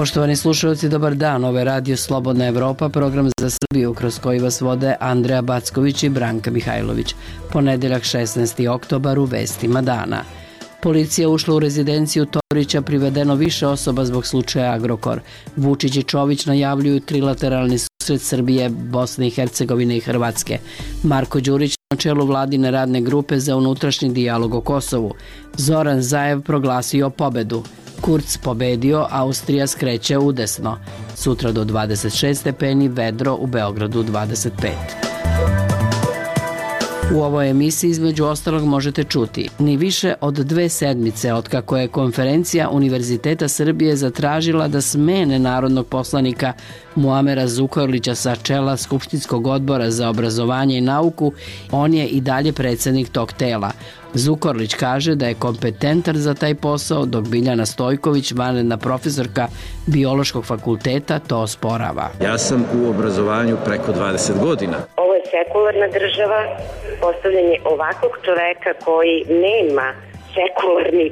Poštovani slušalci, dobar dan. Ovo je Radio Slobodna Evropa, program za Srbiju kroz koji vas vode Andreja Backović i Branka Mihajlović. Ponedeljak 16. oktobar u vestima dana. Policija ušla u rezidenciju Todorića, privedeno više osoba zbog slučaja Agrokor. Vučić i Čović najavljuju trilateralni susret Srbije, Bosne i Hercegovine i Hrvatske. Marko Đurić na čelu vladine radne grupe za unutrašnji dijalog o Kosovu. Zoran Zaev proglasio pobedu. Kurz pobedio, Austrija skreće udesno. Sutra do 26 stepeni, vedro, u Beogradu 25. U ovoj emisiji između ostalog možete čuti: ni više od 2 sedmice otkako je konferencija Univerziteta Srbije zatražila da smene narodnog poslanika Muamera Zukorlića sa čela Skupštinskog odbora za obrazovanje i nauku, on je i dalje predsednik tog tela. Zukorlić kaže da je kompetentan za taj posao, dok Biljana Stojković, vanredna profesorka Biološkog fakulteta, to osporava. Ja sam u obrazovanju preko 20 godina. Ovo je sekularna država, postavljanje ovakvog čoveka koji nema sekularni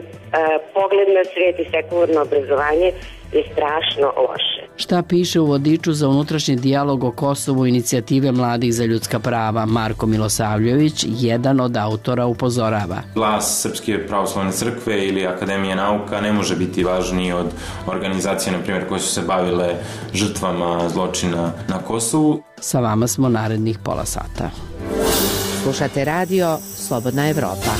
pogled na svijet i sekularno obrazovanje je strašno loše. Šta piše u vodiču za unutrašnji dijalog o Kosovu inicijative mladih za ljudska prava? Marko Milosavljević, jedan od autora, upozorava: Glas Srpske pravoslavne crkve ili Akademije nauka ne može biti važniji od organizacije, na primjer, koje su se bavile žrtvama zločina na Kosovu. Sa vama smo narednih pola sata. Slušate radio Slobodna Evropa.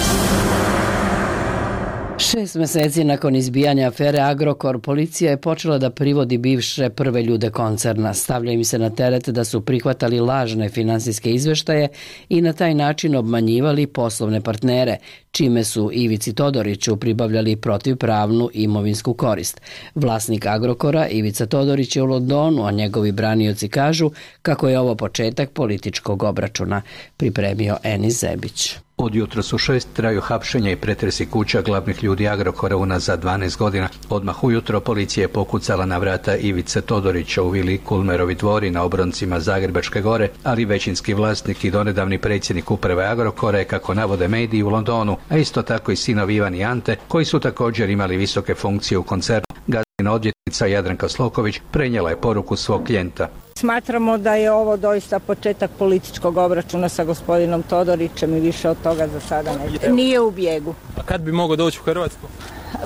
6 meseci nakon izbijanja afere Agrokor, policija je počela da privodi bivše prve ljude koncerna. Stavlja im se na teret da su prihvatali lažne finansijske izveštaje i na taj način obmanjivali poslovne partnere, čime su Ivici Todoriću pribavljali protivpravnu imovinsku korist. Vlasnik Agrokora, Ivica Todorić, je u Londonu, a njegovi branioci kažu kako je ovo početak političkog obračuna. Pripremio Enis Zebić. Od jutros u 6 traju hapšenja i pretresi kuća glavnih ljudi Agrokora unazad 12 godina. Odmah ujutro policija je pokucala na vrata Ivice Todorića u vili Kulmerovi dvori na obroncima Zagrebačke gore, ali većinski vlasnik i donedavni predsjednik uprave Agrokora je, kako navode mediji, u Londonu, a isto tako i sinovi Ivan i Ante, koji su također imali visoke funkcije u koncernu. Gazdina odvjetnica Jadranka Sloković prenijela je poruku svog klijenta. Smatramo da je ovo doista početak političkog obračuna sa gospodinom Todorićem i više od toga za sada ne. Nije u bijegu. A kad bi mogao doći u Hrvatsku?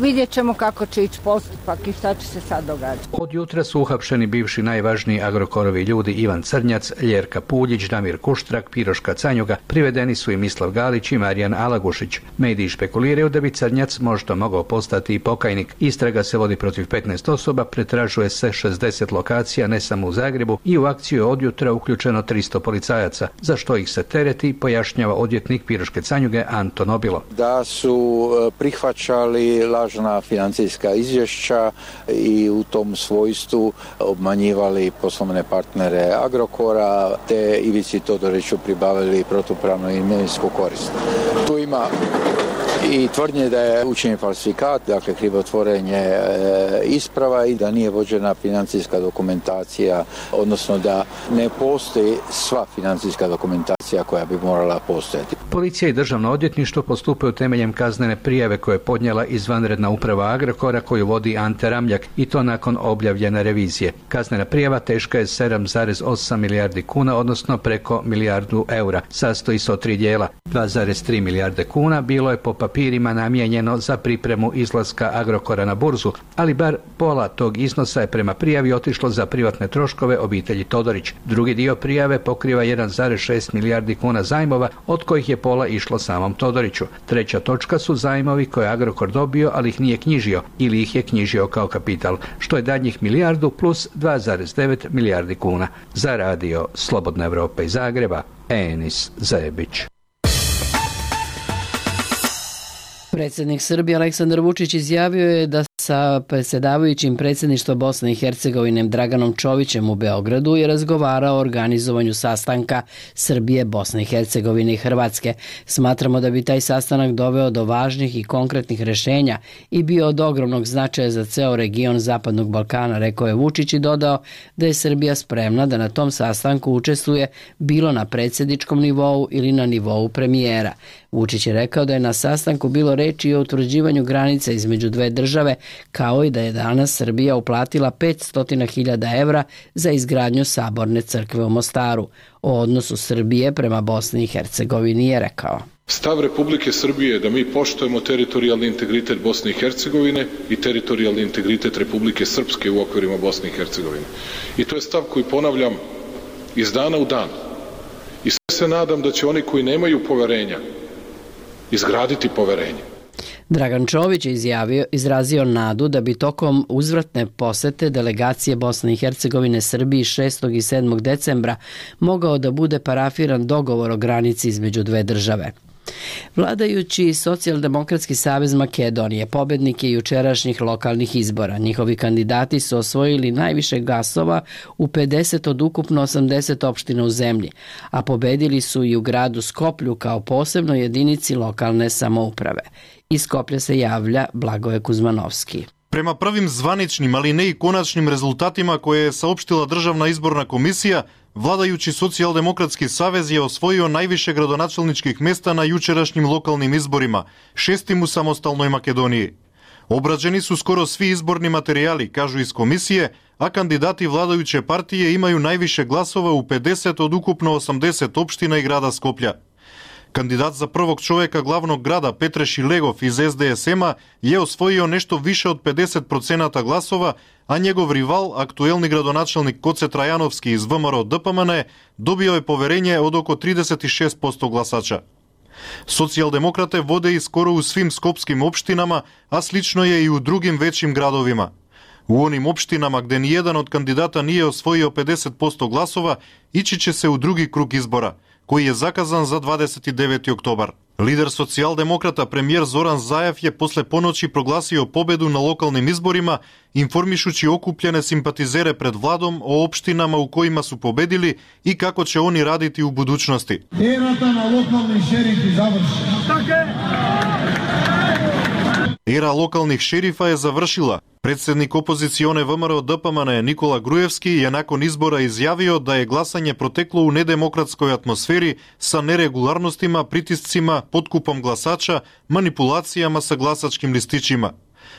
Vidjet ćemo kako će ići postupak i šta će se sad događati. Od jutra su uhapšeni bivši najvažniji Agrokorovi ljudi Ivan Crnjac, Ljerka Puljić, Damir Kuštrak, Piroška Canjuga, privedeni su i Mislav Galić i Marijan Alagušić. Mediji špekuliraju da bi Crnjac možda mogao postati i pokajnik. Istraga se vodi protiv 15 osoba, pretražuje se 60 lokacija, ne samo u Zagrebu, i u akciju je od jutra uključeno 300 policajaca, za što ih se tereti, pojašnjava odvjetnik Piroške Canjuge Anton Obilo. Da su prihvaćali lažna financijska izvješća i u tom svojstvu obmanjivali poslovne partnere Agrokora, te Ivici Todoriću pribavili protupravnu imovinsku korist. Tu ima i tvrdnje da je učinjen falsifikat, dakle krivotvorenje isprava i da nije vođena financijska dokumentacija, odnosno da ne postoji sva financijska dokumentacija koja bi morala postojati. Policija i državno odvjetništvo postupaju temeljem kaznene prijave koje je podnijela izvanredna uprava Agrokora koju vodi Ante Ramljak, i to nakon objavljene revizije. Kaznena prijava teška je 7,8 milijardi kuna, odnosno preko milijardu eura. Sastoji se od 3 dijela. 2,3 milijarde kuna bilo je po papirima namijenjeno za pripremu izlaska Agrokora na burzu, ali bar pola tog iznosa je prema prijavi otišlo za privatne troškove obitelji Todorić. Drugi dio prijave pokriva 1,6 milijardi kuna zajmova, od kojih je pola išlo samom Todoriću. Treća točka su zajmovi koje je Agrokor dobio, ali ih nije knjižio ili ih je knjižio kao kapital, što je daljnjih milijardu plus 2,9 milijardi kuna. Za radio Slobodna Evropa iz Zagreba, Enis Zebić. Predsjednik Srbije Aleksandar Vučić izjavio je da sa predsjedavajućim predsjedništva Bosne i Hercegovine Draganom Čovićem u Beogradu je razgovarao o organizovanju sastanka Srbije, Bosne i Hercegovine i Hrvatske. Smatramo da bi taj sastanak doveo do važnih i konkretnih rješenja i bio od ogromnog značaja za ceo region Zapadnog Balkana, rekao je Vučić i dodao da je Srbija spremna da na tom sastanku učestvuje bilo na predsjedničkom nivou ili na nivou premijera. Vučić je rekao da je na sastanku bilo reči i o utvrđivanju granica između dve države, kao i da je danas Srbija uplatila 500.000 evra za izgradnju Saborne crkve u Mostaru. O odnosu Srbije prema Bosni i Hercegovini je rekao: Stav Republike Srbije je da mi poštujemo teritorijalni integritet Bosne i Hercegovine i teritorijalni integritet Republike Srpske u okvirima Bosne i Hercegovine. I to je stav koji ponavljam iz dana u dan. I sve se nadam da će oni koji nemaju poverenja izgraditi poverenje. Dragan Čović je izrazio nadu da bi tokom uzvratne posete delegacije Bosne i Hercegovine Srbiji 6. i 7. decembra mogao da bude parafiran dogovor o granici između dve države. Vladajući Socijaldemokratski savez Makedonije pobednik je jučerašnjih lokalnih izbora. Njihovi kandidati su osvojili najviše glasova u 50 od ukupno 80 opština u zemlji, a pobedili su i u gradu Skoplju kao posebnoj jedinici lokalne samouprave. Iz Skoplja se javlja Blagoje Kuzmanovski. Prema prvim zvaničnim, ali ne i konačnim rezultatima koje je saopštila Državna izborna komisija, vladajući Socijaldemokratski savez je osvojio najviše gradonačelničkih mesta na jučerašnjim lokalnim izborima, 6. u samostalnoj Makedoniji. Obrađeni su skoro svi izborni materijali, kažu iz komisije, a kandidati vladajuće partije imaju najviše glasova u 50 od ukupno 80 opština i grada Skoplja. Kandidat za prvog čoveka glavnog grada Petre Šilegov iz SDSM-a je osvojio nešto više od 50% glasova, a njegov rival, aktuelni gradonačelnik Koce Trajanovski iz ВМРО ДПМН, dobio je poverenje od oko 36% glasača. Socijaldemokrate vode i skoro u svim skopskim opštinama, a slično je i u drugim većim gradovima. U onim opštinama gde nijedan od kandidata nije osvojio 50% glasova, ići će se u drugi krug izbora, koji je zakazan za 29. oktobar. Lider socijaldemokrata premijer Zoran Zajev je posle ponoći proglasio pobedu na lokalnim izborima, informišući okupljene simpatizere pred vladom o opštinama u kojima su pobedili i kako će oni raditi u budućnosti. Erata na lokalni šerifi završena. Era lokalnih šerifa je završila. Predsjednik opozicione ВМРО ДПМН Nikola Grujevski je nakon izbora izjavio da je glasanje proteklo u nedemokratskoj atmosferi sa neregularnostima, pritiscima, potkupom glasača, manipulacijama sa glasačkim listićima.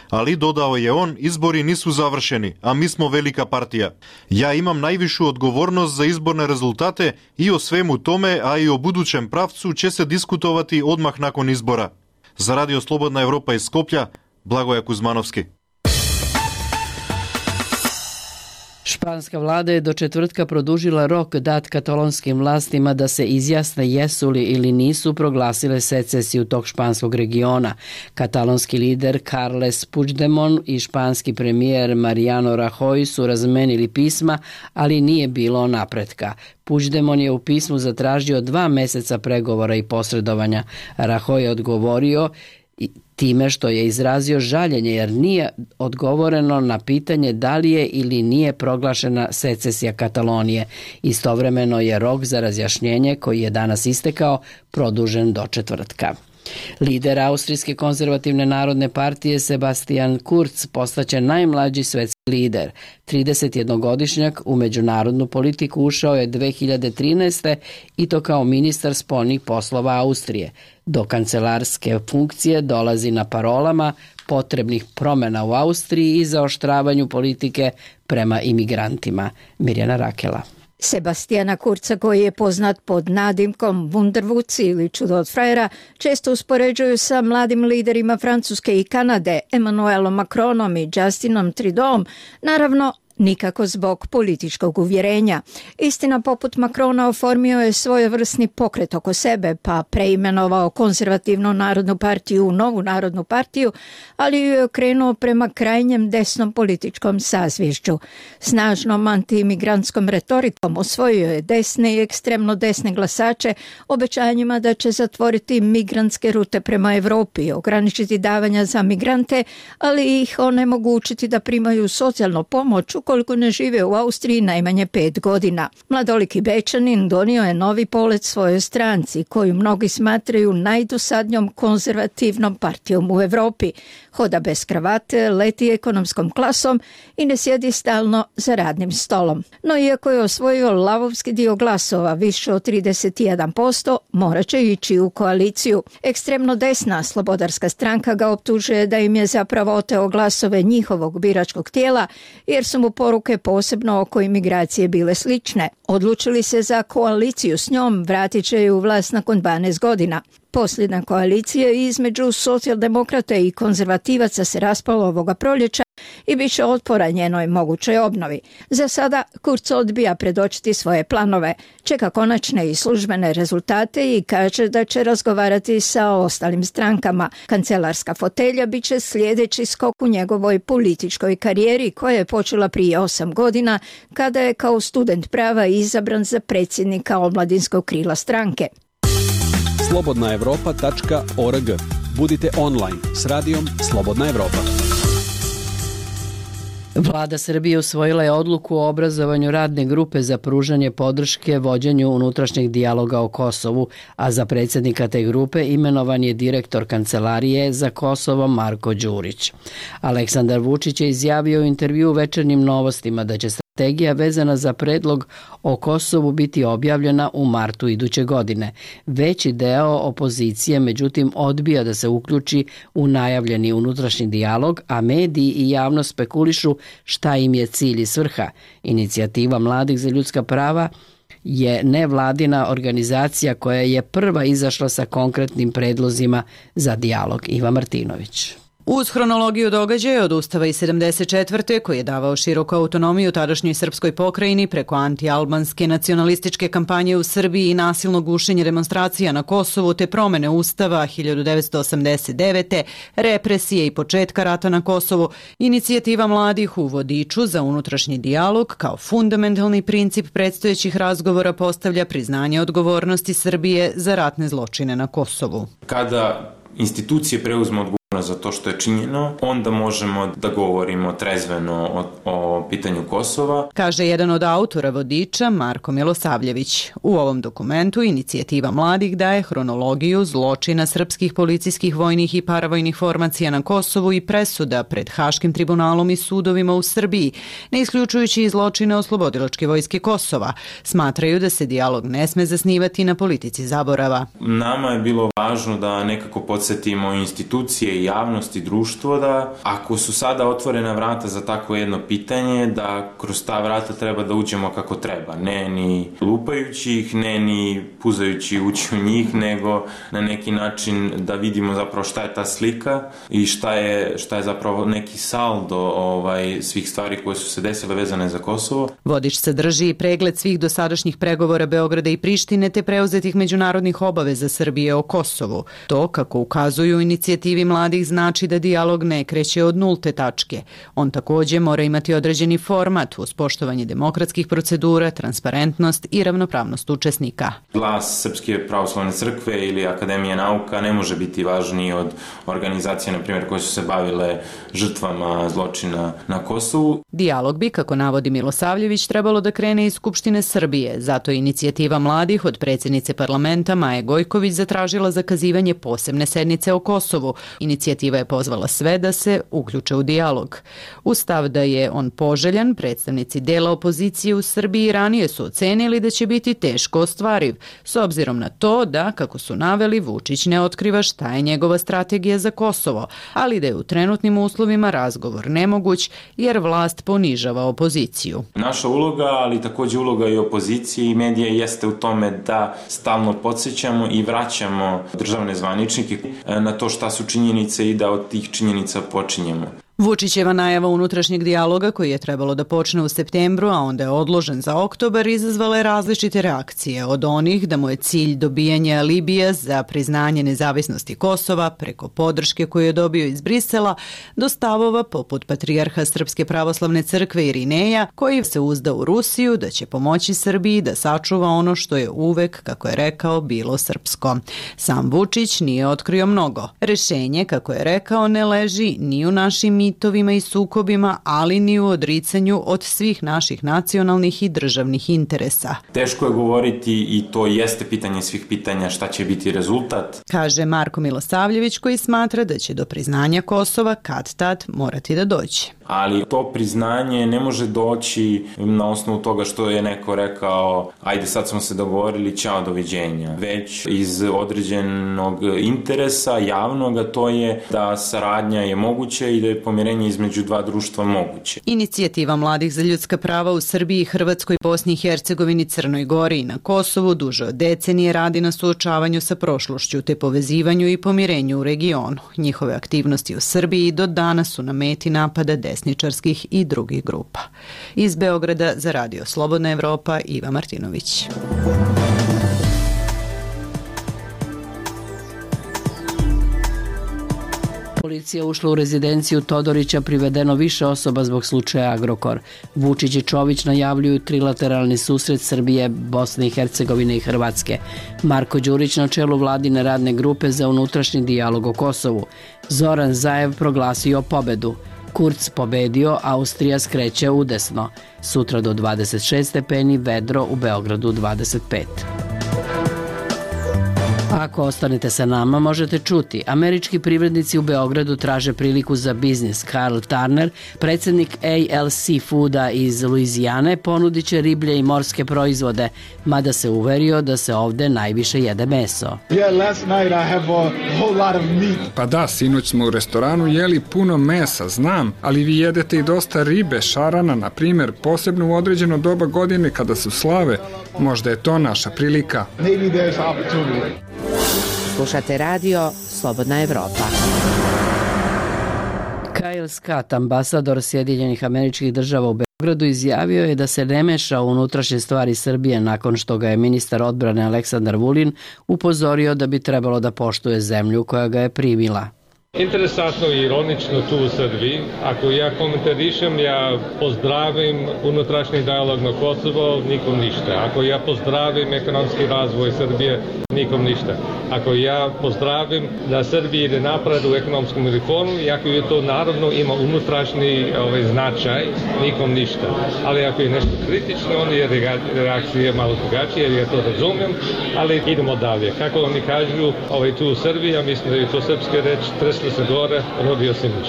Ali, dodao je on, izbori nisu završeni, a mi smo velika partija. Ja imam najvišu odgovornost za izborne rezultate i o svemu tome, a i o budućem pravcu će se diskutovati odmah nakon izbora. Za Radio Slobodna Evropa iz Skoplja, Blagoje Kuzmanovski. Španska vlada je do četvrtka produžila rok dat katalonskim vlastima da se izjasne jesu li ili nisu proglasile secesiju tog španskog regiona. Katalonski lider Carles Puigdemont i španski premijer Mariano Rajoy su razmenili pisma, ali nije bilo napretka. Puigdemont je u pismu zatražio 2 meseca pregovora i posredovanja. Rajoy je odgovorio time što je izrazio žaljenje jer nije odgovoreno na pitanje da li je ili nije proglašena secesija Katalonije. Istovremeno je rok za razjašnjenje koji je danas istekao produžen do četvrtka. Lider Austrijske konzervativne narodne partije Sebastian Kurz postaće najmlađi svetski lider. 31-godišnjak u međunarodnu politiku ušao je 2013. i to kao ministar spoljnih poslova Austrije. Do kancelarske funkcije dolazi na parolama potrebnih promjena u Austriji i zaoštravanju politike prema imigrantima. Mirjana Rakela. Sebastiana Kurza, koji je poznat pod nadimkom Wunderwutz ili čudo od frajera, često uspoređuju sa mladim liderima Francuske i Kanade, Emmanuelom Macronom i Justinom Trudeauom, naravno nikako zbog političkog uvjerenja. Istina, poput Macrona oformio je svojevrsni pokret oko sebe, pa preimenovao konzervativnu narodnu partiju u novu narodnu partiju, ali ju je okrenuo prema krajnjem desnom političkom sazvješću. Snažnom antiimigrantskom retorikom osvojio je desne i ekstremno desne glasače obećanjima da će zatvoriti migrantske rute prema Europi, ograničiti davanja za migrante, ali ih onemogućiti da primaju socijalnu pomoć ukoliko ne žive u Austriji najmanje 5 godina. Mladoliki Bečanin donio je novi polet svojoj stranci, koju mnogi smatraju najdosadnjom konzervativnom partijom u Evropi. Hoda bez kravate, leti ekonomskom klasom i ne sjedi stalno za radnim stolom. No iako je osvojio lavovski dio glasova, više od 31%, morat će ići u koaliciju. Ekstremno desna slobodarska stranka ga optužuje da im je zapravo oteo glasove njihovog biračkog tijela, jer su mu poruke posebno oko imigracije bile slične. Odlučili se za koaliciju s njom, vratit će ju u vlast nakon 12 godina. Posljedna koalicija između socijaldemokrata i konzervativaca se raspala ovoga proljeća i bit će otpora njenoj mogućoj obnovi. Za sada Kurz odbija predočiti svoje planove, čeka konačne i službene rezultate i kaže da će razgovarati sa ostalim strankama. Kancelarska fotelja bit će sljedeći skok u njegovoj političkoj karijeri koja je počela prije 8 godina kada je kao student prava izabran za predsjednika omladinskog krila stranke. Slobodnaevropa.org. Budite online s radijom Slobodna Evropa. Vlada Srbije usvojila je odluku o obrazovanju radne grupe za pružanje podrške vođenju unutrašnjeg dijaloga o Kosovu, a za predsjednika te grupe imenovan je direktor Kancelarije za Kosovo Marko Đurić. Aleksandar Vučić je izjavio u intervju u Večernjim novostima da će strategija vezana za predlog o Kosovu biti objavljena u martu iduće godine. Veći deo opozicije, međutim, odbija da se uključi u najavljeni unutrašnji dijalog, a mediji i javnost spekulišu šta im je cilj i svrha. Inicijativa Mladih za ljudska prava je nevladina organizacija koja je prva izašla sa konkretnim predlozima za dijalog. Iva Martinović. Uz hronologiju događaja od Ustava iz 74. koji je davao široku autonomiju tadašnjoj srpskoj pokrajini preko anti-albanske nacionalističke kampanje u Srbiji i nasilno gušenje demonstracija na Kosovu te promene Ustava 1989. represije i početka rata na Kosovu, inicijativa mladih u vodiču za unutrašnji dijalog kao fundamentalni princip predstojećih razgovora postavlja priznanje odgovornosti Srbije za ratne zločine na Kosovu. Kada institucije preuzmu odgovornost za to što je činjeno, onda možemo da govorimo trezveno o pitanju Kosova, kaže jedan od autora vodiča Marko Milosavljević. U ovom dokumentu inicijativa mladih daje hronologiju zločina srpskih policijskih, vojnih i paravojnih formacija na Kosovu i presuda pred Haškim tribunalom i sudovima u Srbiji, ne isključujući i zločine oslobodilačke vojske Kosova. Smatraju da se dijalog ne sme zasnivati na politici zaborava. Nama je bilo važno da nekako podsjetimo institucije i javnost i društvo da ako su sada otvorena vrata za tako jedno pitanje, da kroz ta vrata treba da uđemo kako treba. Ne ni lupajući ih, ne ni puzajući ući u njih, nego na neki način da vidimo zapravo šta je ta slika i šta je zapravo neki saldo svih stvari koje su se desile vezane za Kosovo. Vodič sadrži pregled svih dosadašnjih pregovora Beograda i Prištine te preuzetih međunarodnih obaveza Srbije o Kosovu. To, kako ukazuju inicijativi mladih, znači da dijalog ne kreće od nulte tačke. On također mora imati određeni format uz poštovanje demokratskih procedura, transparentnost i ravnopravnost učesnika. Glas Srpske pravoslavne crkve ili Akademije nauka ne može biti važniji od organizacije, na primjer, koje su se bavile žrtvama zločina na Kosovu. Dijalog bi, kako navodi Milosavljević, trebalo da krene iz Skupštine Srbije. Zato je inicijativa mladih od predsjednice parlamenta Maje Gojković zatražila zakazivanje posebne sednice o Kosovu. Inicijativa je pozvala sve da se uključe u dijalog. Uz stav da je on poželjan, predstavnici dela opozicije u Srbiji ranije su ocenili da će biti teško ostvariv, s obzirom na to da, kako su naveli, Vučić ne otkriva šta je njegova strategija za Kosovo, ali da je u trenutnim uslovima razgovor nemoguć jer vlast ponižava opoziciju. Naša uloga, ali također uloga i opozicije i medija jeste u tome da stalno podsjećamo i vraćamo državne zvaničnike na to šta su činjenice i da od tih činjenica počinjemo. Vučićeva najava unutrašnjeg dijaloga, koji je trebalo da počne u septembru, a onda je odložen za oktobar, izazvala je različite reakcije, od onih da mu je cilj dobijanje alibija za priznanje nezavisnosti Kosova preko podrške koju je dobio iz Brisela, do stavova poput patrijarha Srpske pravoslavne crkve Irineja, koji se uzda u Rusiju da će pomoći Srbiji da sačuva ono što je uvek, kako je rekao, bilo srpsko. Sam Vučić nije otkrio mnogo. Rešenje, kako je rekao, ne leži ni u našim mitovima i sukobima, ali ni u odricanju od svih naših nacionalnih i državnih interesa. Teško je govoriti i to jeste pitanje svih pitanja šta će biti rezultat. Kaže Marko Milosavljević, koji smatra da će do priznanja Kosova kad-tad morati da dođe. Ali to priznanje ne može doći na osnovu toga što je neko rekao ajde sad smo se dogovorili, ćao, doviđenja. Već iz određenog interesa javnog, to je da saradnja je moguća i da je pomirenje između dva društva moguće. Inicijativa mladih za ljudska prava u Srbiji, Hrvatskoj, Bosni i Hercegovini, Crnoj Gori i na Kosovu duže od decenije radi na suočavanju sa prošlošću te povezivanju i pomirenju u regionu. Njihove aktivnosti u Srbiji do danas su na meti napada desničarskih i drugih grupa. Iz Beograda za Radio Slobodna Evropa, Iva Martinović. Policija ušla u rezidenciju Todorića, privedeno više osoba zbog slučaja Agrokor. Vučić i Čović najavljuju trilateralni susret Srbije, Bosne i Hercegovine i Hrvatske. Marko Đurić na čelu vladine radne grupe za unutrašnji dijalog o Kosovu. Zoran Zaev proglasio pobedu. Kurz pobedio, Austrija skreće udesno. Sutra do 26 stepeni, vedro, u Beogradu 25. Ako ostanete sa nama, možete čuti. Američki privrednici u Beogradu traže priliku za biznis. Carl Turner, predsjednik ALC Fooda iz Luizijane, ponudit će riblje i morske proizvode, mada se uverio da se ovde najviše jede meso. Pa da, sinoć smo u restoranu jeli puno mesa, znam, ali vi jedete i dosta ribe, šarana, na primjer, posebno u određeno doba godine kada su slave. Možda je to naša prilika. Slušate radio Slobodna Evropa. Kyle Scott, ambasador Sjedinjenih Američkih Država u Beogradu, izjavio je da se ne meša u unutrašnje stvari Srbije nakon što ga je ministar odbrane Aleksandar Vulin upozorio da bi trebalo da poštuje zemlju koja ga je primila. Interesantno i ironično tu u Srbiji. Ako ja komentarišem, ja pozdravim unutrašnji dijalog na Kosovo, nikom ništa. Ako ja pozdravim ekonomski razvoj Srbije, nikom ništa. Ako ja pozdravim da Srbija ide napred u ekonomskom reformu, i ako je to naravno ima unutrašnji značaj, nikom ništa. Ali ako je nešto kritično, onda je reakcija malo drugačija, ja to razumijem, ali idemo dalje. Kako oni kažu, tu u Srbiji, ja mislim da je to srpska reč, treslo se gore, rodio se miš.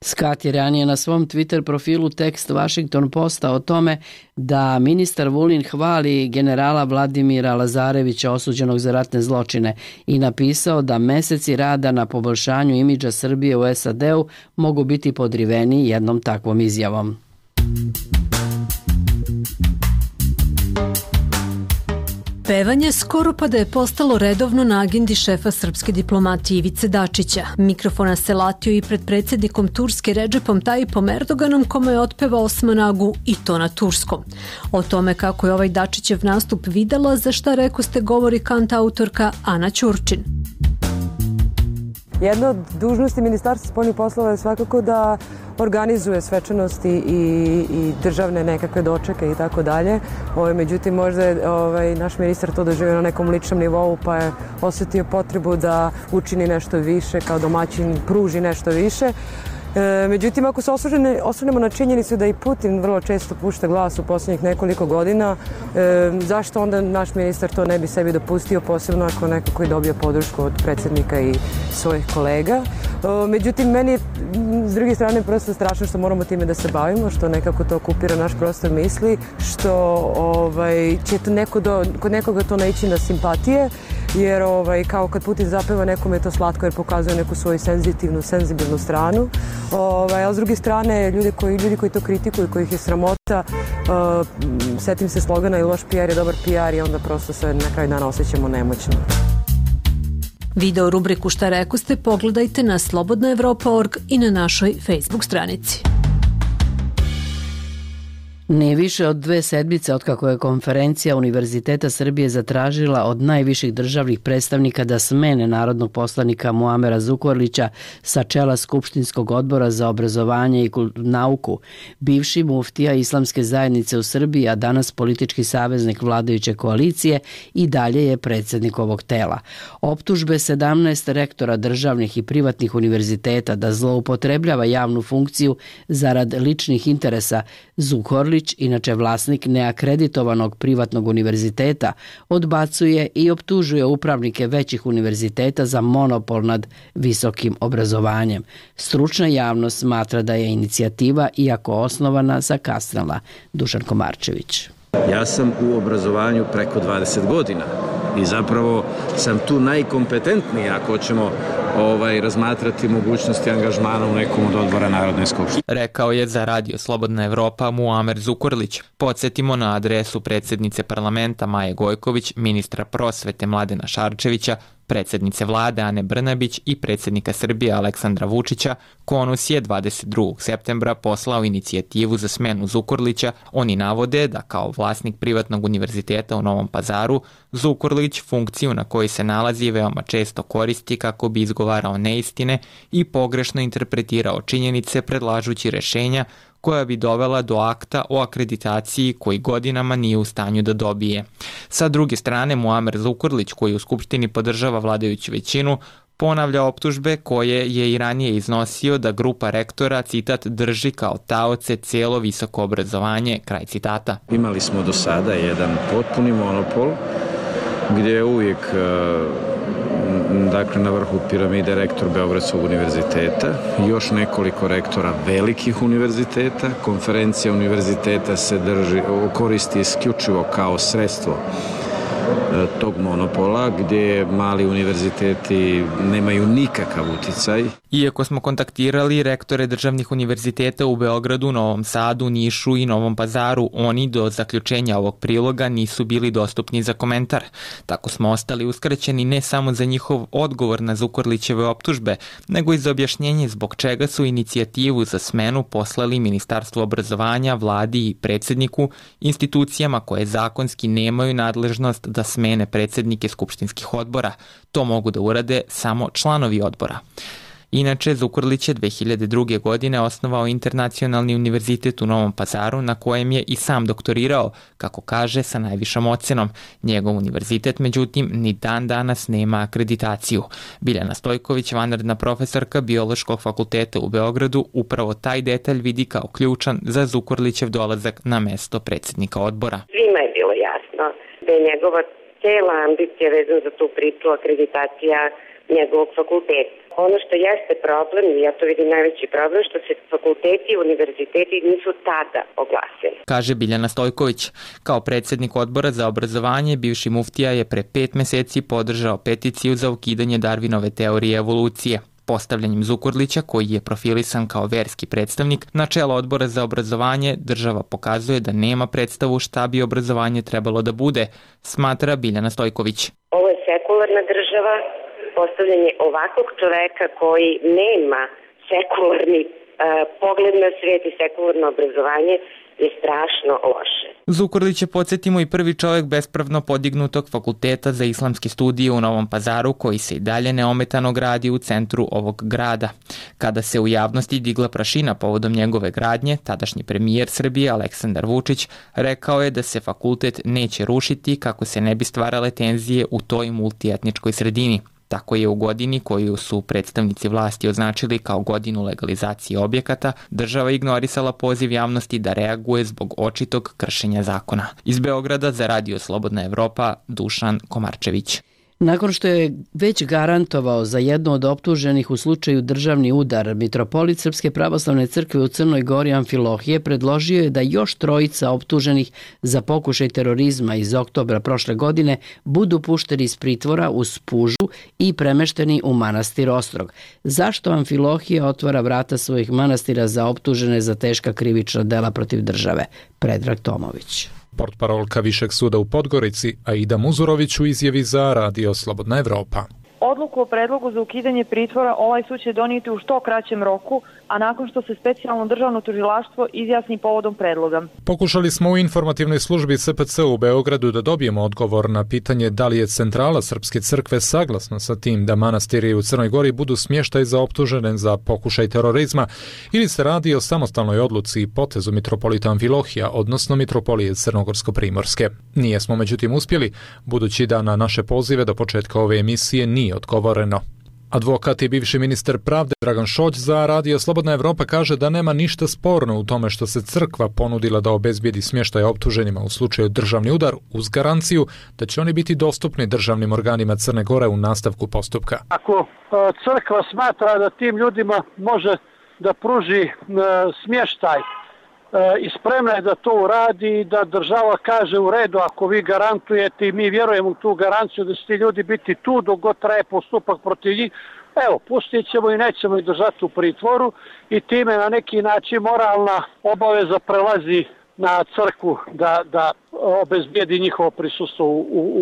Scott je ranije na svom Twitter profilu tekst Washington Posta o tome da ministar Vulin hvali generala Vladimira Lazarevića osuđenog za ratne zločine i napisao da meseci rada na poboljšanju imidža Srbije u SAD-u mogu biti podriveni jednom takvom izjavom. Pevanje skoro pa da je postalo redovno na agendi šefa srpske diplomatije Ivice Dačića. Mikrofona se latio i pred predsjednikom Turske Redžepom Tayyipom Erdoganom, kome je otpevao Osman Agu, i to na turskom. O tome kako je ovaj Dačićev nastup videla, za šta rekoste govori kantautorka Ana Ćurčin. Jedna od dužnosti Ministarstva spoljnih poslova je svakako da organizuje svečanosti i državne nekakve dočeke i tako dalje. Međutim, možda je naš ministar to doživio na nekom ličnom nivou, pa je osjetio potrebu da učini nešto više, kao domaćin pruži nešto više. Međutim, ako se osvrnemo na činjenicu da i Putin vrlo često pušta glas u posljednjih nekoliko godina, zašto onda naš ministar to ne bi sebi dopustio, posebno ako neko koji dobio podršku od predsjednika i svojih kolega. Međutim, meni je s druge strane prosto strašno što moramo time da se bavimo, što nekako to okupira naš prostor misli, što će kod nekoga to naići na simpatije, jer kao kad Putin zapeva, nekome je to slatko jer pokazuje neku svoju senzibilnu stranu. A s druge strane, ljudi koji to kritikuju, kojih je sramota, setim se slogana i loš PR je dobar PR i onda prosto se na kraju dana osjećamo nemoćno. Video rubriku Šta rekoste pogledajte na slobodnaevropa.org i na našoj Facebook stranici. Nije više od 2 sedmice otkako je konferencija Univerziteta Srbije zatražila od najviših državnih predstavnika da smene narodnog poslanika Muamera Zukorlića sa čela Skupštinskog odbora za obrazovanje i nauku. Bivši muftija Islamske zajednice u Srbiji, a danas politički saveznik vladajuće koalicije, i dalje je predsjednik ovog tela. Optužbe 17 rektora državnih i privatnih univerziteta da zloupotrebljava javnu funkciju zarad ličnih interesa. Zukorlić, inače vlasnik neakreditovanog privatnog univerziteta, odbacuje i optužuje upravnike većih univerziteta za monopol nad visokim obrazovanjem. Stručna javnost smatra da je inicijativa, iako osnovana, zakasnila. Dušan Komarčević. Ja sam u obrazovanju preko 20 godina i zapravo sam tu najkompetentniji ako ćemo razmatrati mogućnosti angažmana u nekom od odbora Narodne skupštine. Rekao je za Radio Slobodna Evropa Muamer Zukorlić. Podsjetimo na adresu predsjednice parlamenta Maje Gojković, ministra prosvete Mladena Šarčevića, predsjednice vlade Ane Brnabić i predsjednika Srbije Aleksandra Vučića, KONUS je 22. septembra poslao inicijativu za smenu Zukorlića. Oni navode da kao vlasnik privatnog univerziteta u Novom Pazaru, Zukorlić funkciju na kojoj se nalazi veoma često koristi kako bi izgovarao neistine i pogrešno interpretirao činjenice predlažući rešenja koja bi dovela do akta o akreditaciji koji godinama nije u stanju da dobije. Sa druge strane, Muamer Zukorlić, koji u Skupštini podržava vladajuću većinu, ponavlja optužbe koje je i ranije iznosio da grupa rektora, citat, drži kao taoce cijelo visoko obrazovanje, kraj citata. Imali smo do sada jedan potpuni monopol gdje je uvijek na vrhu piramide rektor Beogradskog univerziteta, još nekoliko rektora velikih univerziteta. Konferencija univerziteta se koristi isključivo kao sredstvo tog monopola gdje mali univerziteti nemaju nikakav uticaj. Iako smo kontaktirali rektore državnih univerziteta u Beogradu, Novom Sadu, Nišu i Novom Pazaru, oni do zaključenja ovog priloga nisu bili dostupni za komentar. Tako smo ostali uskraćeni ne samo za njihov odgovor na Zukorlićeve optužbe, nego i za objašnjenje zbog čega su inicijativu za smenu poslali Ministarstvo obrazovanja, vladi i predsjedniku, institucijama koje zakonski nemaju nadležnost da smene predsjednike skupštinskih odbora. To mogu da urade samo članovi odbora. Inače, Zukorlić je 2002. godine osnovao Internacionalni univerzitet u Novom Pazaru, na kojem je i sam doktorirao, kako kaže, sa najvišom ocenom. Njegov univerzitet, međutim, ni dan danas nema akreditaciju. Biljana Stojković, vanredna profesorka Biološkog fakulteta u Beogradu, upravo taj detalj vidi kao ključan za Zukorlićev dolazak na mesto predsjednika odbora. Svima je bilo jasno da je njegova cela ambicija vezana za tu priču akreditacija njegovog fakulteta. Ono što jeste problem, i ja to vidim najveći problem, što se fakulteti i univerziteti nisu tada oglasili. Kaže Biljana Stojković. Kao predsjednik odbora za obrazovanje, bivši muftija je pre 5 meseci podržao peticiju za ukidanje Darwinove teorije evolucije. Postavljanjem Zukorlića, koji je profilisan kao verski predstavnik, na čelo odbora za obrazovanje, država pokazuje da nema predstavu šta bi obrazovanje trebalo da bude, smatra Biljana Stojković. Ovo je sekularna država, postavljanje ovakvog čoveka koji nema sekularni pogled na svijet i sekularno obrazovanje je strašno loše. Zukorlić je, podsjetimo, i prvi čovjek bespravno podignutog fakulteta za islamske studije u Novom Pazaru, koji se i dalje neometano gradi u centru ovog grada. Kada se u javnosti digla prašina povodom njegove gradnje, tadašnji premijer Srbije Aleksandar Vučić rekao je da se fakultet neće rušiti kako se ne bi stvarale tenzije u toj multietničkoj sredini. Tako je u godini koju su predstavnici vlasti označili kao godinu legalizacije objekata, država ignorisala poziv javnosti da reaguje zbog očitog kršenja zakona. Iz Beograda za Radio Slobodna Evropa, Dušan Komarčević. Nakon što je već garantovao za jednu od optuženih u slučaju državni udar, mitropolit Srpske pravoslavne crkve u Crnoj Gori Amfilohije predložio je da još 3 optuženih za pokušaj terorizma iz oktobra prošle godine budu pušteni iz pritvora uz pužu i premešteni u manastir Ostrog. Zašto Amfilohija otvara vrata svojih manastira za optužene za teška krivična dela protiv države? Predrag Tomović. Portparolka Višeg suda u Podgorici, Aida Muzurović, u izjavi za Radio Slobodna Evropa. Odluku o predlogu za ukidanje pritvora ovaj sud će donijeti u što kraćem roku, a nakon što se specijalno državno tužilaštvo izjasni povodom predloga. Pokušali smo u informativnoj službi SPC u Beogradu da dobijemo odgovor na pitanje da li je centrala Srpske crkve saglasna sa tim da manastiri u Crnoj Gori budu smještaj za optužene za pokušaj terorizma ili se radi o samostalnoj odluci i potezu mitropolita Amfilohija, odnosno mitropolije Crnogorsko-primorske. Nijesmo međutim uspjeli, budući da na naše pozive do početka ove emisije nije odgovoreno. Advokat i bivši ministar pravde Dragan Šoć za Radio Slobodna Evropa kaže da nema ništa sporno u tome što se crkva ponudila da obezbijedi smještaj optuženima u slučaju državni udar uz garanciju da će oni biti dostupni državnim organima Crne Gore u nastavku postupka. Ako crkva smatra da tim ljudima može da pruži smještaj i spremna je da to uradi i da država kaže u redu ako vi garantujete i mi vjerujemo u tu garanciju da će ti ljudi biti tu dok god traje postupak protiv njih, evo, pustit ćemo i nećemo ih držati u pritvoru i time na neki način moralna obaveza prelazi na crkvu da obezbijedi njihovo prisustvo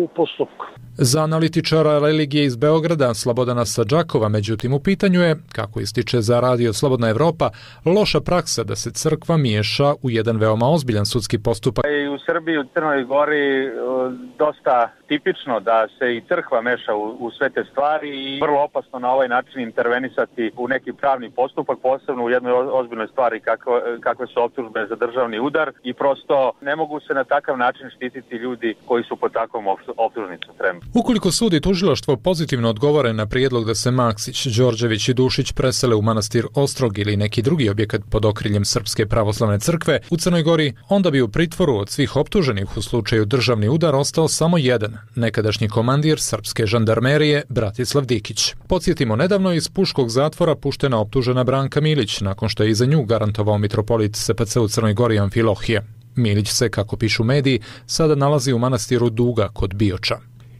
u postupku. Za analitičara religije iz Beograda Slobodana Sadžakova, međutim, u pitanju je, kako ističe za Radio Slobodna Evropa, loša praksa da se crkva miješa u jedan veoma ozbiljan sudski postupak. I u Srbiji, u Crnoj Gori, dosta tipično da se i crkva meša u sve te stvari i vrlo opasno na ovaj način intervenisati u neki pravni postupak, posebno u jednoj ozbiljnoj stvari kakve su optužbe za državni udar i prosto ne mogu se na takav način štititi ljudi koji su pod takvom optužnicom. Ukoliko sud i tužilaštvo pozitivno odgovore na prijedlog da se Maksić, Đorđević i Dušić presele u manastir Ostrog ili neki drugi objekat pod okriljem Srpske pravoslavne crkve u Crnoj Gori, onda bi u pritvoru od svih optuženih u slučaju državni udar ostao samo jedan, nekadašnji komandir srpske žandarmerije Bratislav Dikić. Podsjetimo, nedavno je iz puškog zatvora puštena optužena Branka Milić, nakon što je i za nju garantovao mitropolit SPC u Crnoj Gori Amfilohije. Milić se, kako pišu mediji, sada nalazi u manastiru Duga kod Bioča.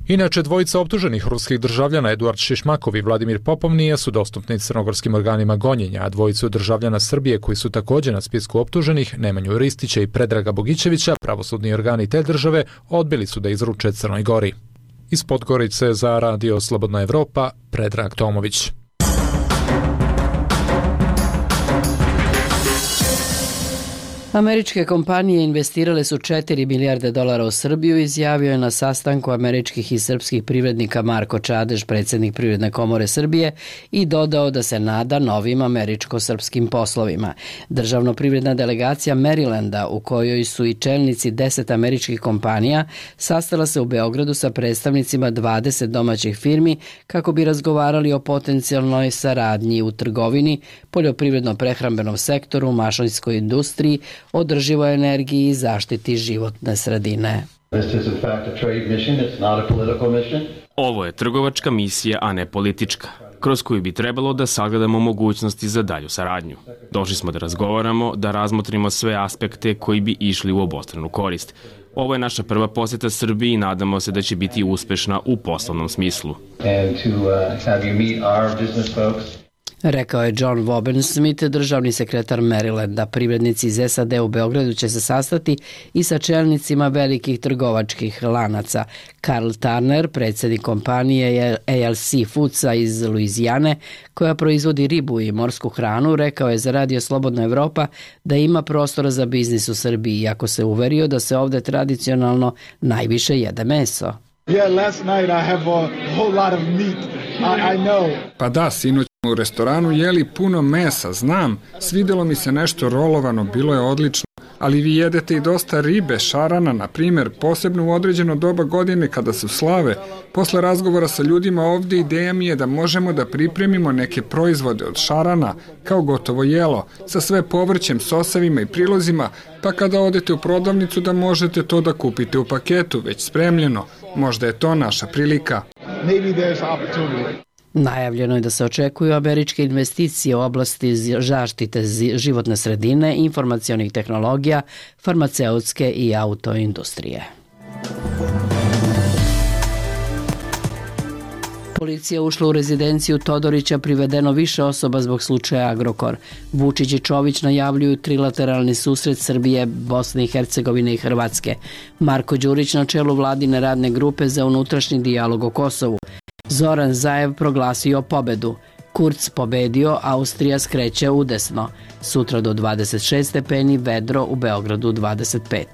Inače, dvojica optuženih ruskih državljana Eduard Šišmakov i Vladimir Popov nije su dostupni crnogorskim organima gonjenja, a dvojicu državljana Srbije koji su također na spisku optuženih, Nemanju Ristića i Predraga Bogićevića, pravosudni organi te države odbili su da izruče Crnoj Gori. Iz Podgorice za Radio Slobodna Evropa, Predrag Tomović. Američke kompanije investirale su $4 milijarde u Srbiju, izjavio je na sastanku američkih i srpskih privrednika Marko Čadež, predsjednik Privredne komore Srbije, i dodao da se nada novim američko-srpskim poslovima. Državno-privredna delegacija Marylanda, u kojoj su i čelnici 10 američkih kompanija, sastala se u Beogradu sa predstavnicima 20 domaćih firmi kako bi razgovarali o potencijalnoj saradnji u trgovini, poljoprivredno-prehrambenom sektoru, mašinskoj industriji, održivoj energiji i zaštiti životne sredine. Ovo je trgovačka misija, a ne politička, kroz koju bi trebalo da sagledamo mogućnosti za dalju saradnju. Došli smo da razgovaramo, da razmotrimo sve aspekte koji bi išli u obostranu korist. Ovo je naša prva posjeta Srbiji i nadamo se da će biti uspešna u poslovnom smislu. Rekao je John Wobensmith, državni sekretar Marylanda. Privrednici iz SAD u Beogradu će se sastati i sa čelnicima velikih trgovačkih lanaca. Karl Turner, predsjednik kompanije ALC Foodsa iz Luizijane, koja proizvodi ribu i morsku hranu, rekao je za Radio Slobodna Evropa da ima prostora za biznis u Srbiji, iako se uverio da se ovdje tradicionalno najviše jede meso. Pa da, sinoć u restoranu jeli puno mesa, znam, svidjelo mi se nešto rolovano, bilo je odlično, ali vi jedete i dosta ribe, šarana, na primjer, posebno u određeno doba godine kada su slave. Posle razgovora sa ljudima ovdje ideja mi je da možemo da pripremimo neke proizvode od šarana, kao gotovo jelo, sa sve povrćem, sosevima i prilozima, pa kada odete u prodavnicu da možete to da kupite u paketu, već spremljeno. Možda je to naša prilika. Najavljeno je da se očekuju američke investicije u oblasti zaštite životne sredine, informacionih tehnologija, farmaceutske i autoindustrije. Policija ušla u rezidenciju Todorića, privedeno više osoba zbog slučaja Agrokor. Vučić i Čović najavljuju trilateralni susret Srbije, Bosne i Hercegovine i Hrvatske. Marko Đurić na čelu vladine radne grupe za unutrašnji dijalog o Kosovu. Zoran Zaev proglasio pobedu. Kurz pobedio, Austrija skreće udesno. Sutra do 26 stepeni, vedro, u Beogradu 25.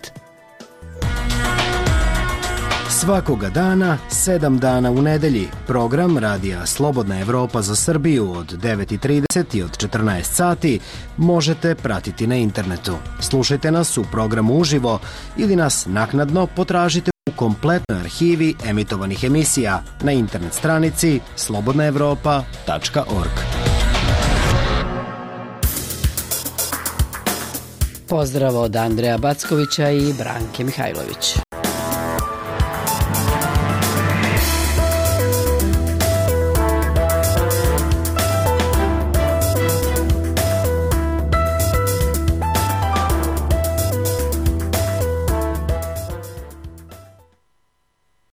Svakoga dana, 7 dana u nedelji, program Radija Slobodna Evropa za Srbiju od 9:30 i od 14 sati možete pratiti na internetu. Slušajte nas u programu uživo ili nas naknadno potražite u kompletnoj arhivi emitovanih emisija na internet stranici slobodnaevropa.org. Pozdrav od Andreja Backovića i Branke Mihajlović.